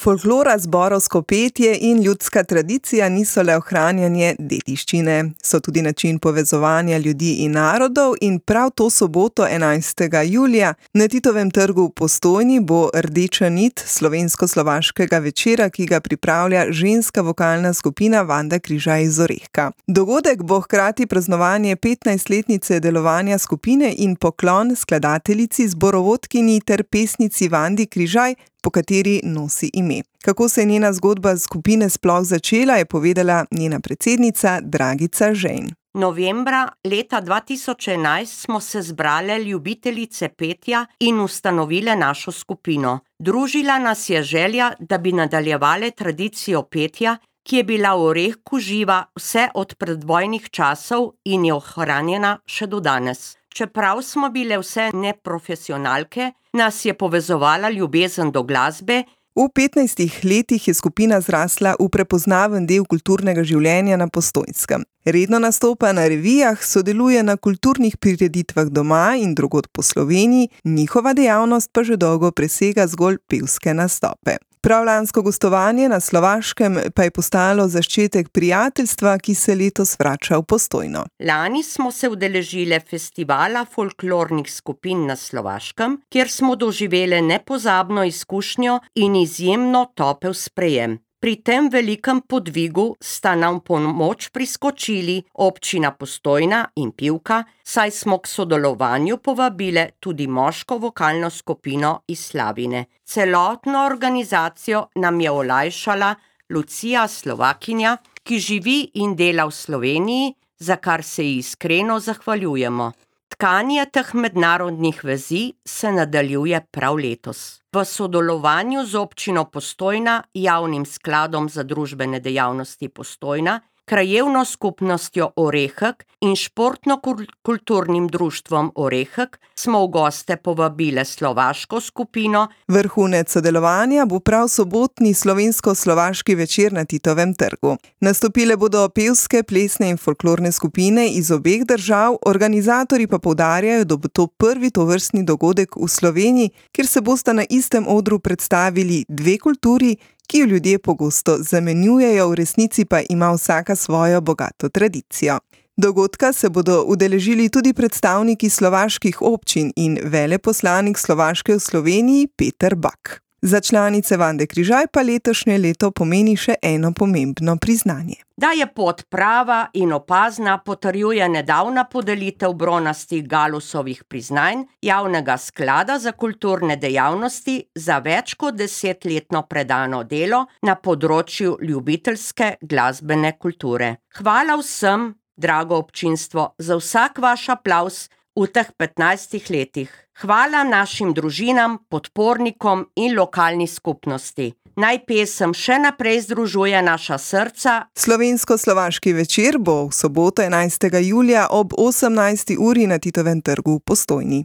Folklora, zborovsko petje in ljudska tradicija niso le ohranjanje dediščine, so tudi način povezovanja ljudi in narodov in prav to soboto 11. julija na Titovem trgu v Postojni bo rdeča nit slovensko-slovaškega večera, ki ga pripravlja ženska vokalna skupina Vanda Križaj iz Orehka. Dogodek bo hkrati praznovanje 15-letnice delovanja skupine in poklon skladateljici, zborovodkinji ter pesnici Vandi Križaj, po kateri nosi ime. Kako se je njena zgodba skupine sploh začela, je povedala njena predsednica Dragica Žejn. Novembra leta 2011 smo se zbrale ljubiteljice petja in ustanovile našo skupino. Družila nas je želja, da bi nadaljevale tradicijo petja, ki je bila v Orehku živa vse od predvojnih časov in je ohranjena še do danes. Čeprav smo bile vse neprofesionalke, nas je povezovala ljubezen do glasbe. V 15 letih je skupina zrasla v prepoznaven del kulturnega življenja na Postojnskem. Redno nastopa na revijah, sodeluje na kulturnih prireditvah doma in drugod po Sloveniji, njihova dejavnost pa že dolgo presega zgolj pevske nastope. Prav lansko gostovanje na Slovaškem pa je postalo začetek prijateljstva, ki se letos vrača v Postojno. Lani smo se udeležile festivala folklornih skupin na Slovaškem, kjer smo doživele nepozabno izkušnjo in izjemno topel sprejem. Pri tem velikem podvigu sta nam pomoč priskočili občina Postojna in Pivka, saj smo k sodelovanju povabile tudi moško vokalno skupino iz Slavine. Celotno organizacijo nam je olajšala Lucija, Slovakinja, ki živi in dela v Sloveniji, za kar se ji iskreno zahvaljujemo. Tkanje teh mednarodnih vezi se nadaljuje prav letos. V sodelovanju z občino Postojna, javnim skladom za družbene dejavnosti Postojna, krajevno skupnostjo Orehek in športno-kulturnim društvom Orehek smo v goste povabile slovaško skupino. Vrhunec sodelovanja bo prav sobotni slovensko-slovaški večer na Titovem trgu. Nastopile bodo pevske, plesne in folklorne skupine iz obeh držav, organizatorji pa poudarjajo, da bo to prvi tovrstni dogodek v Sloveniji, kjer se bosta na istem odru predstavili dve kulturi, ki jo ljudje pogosto zamenjujejo, v resnici pa ima vsaka svojo bogato tradicijo. Dogodka se bodo udeležili tudi predstavniki slovaških občin in veleposlanik Slovaške v Sloveniji Peter Bak. Za članice Vande Križaj pa letošnje leto pomeni še eno pomembno priznanje. Da je pot prava in opazna, potrjuje nedavna podelitev bronastih Galusovih priznanj javnega sklada za kulturne dejavnosti za več kot 10-letno predano delo na področju ljubiteljske glasbene kulture. Hvala vsem, drago občinstvo, za vsak vaš aplavz v teh 15 letih. Hvala našim družinam, podpornikom in lokalni skupnosti. Naj pesem še naprej združuje naša srca. Slovensko-slovaški večer bo v soboto 11. julija ob 18. uri na Titovem trgu v Postojni.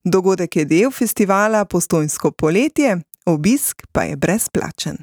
Dogodek je del festivala Postojnsko poletje, obisk pa je brezplačen.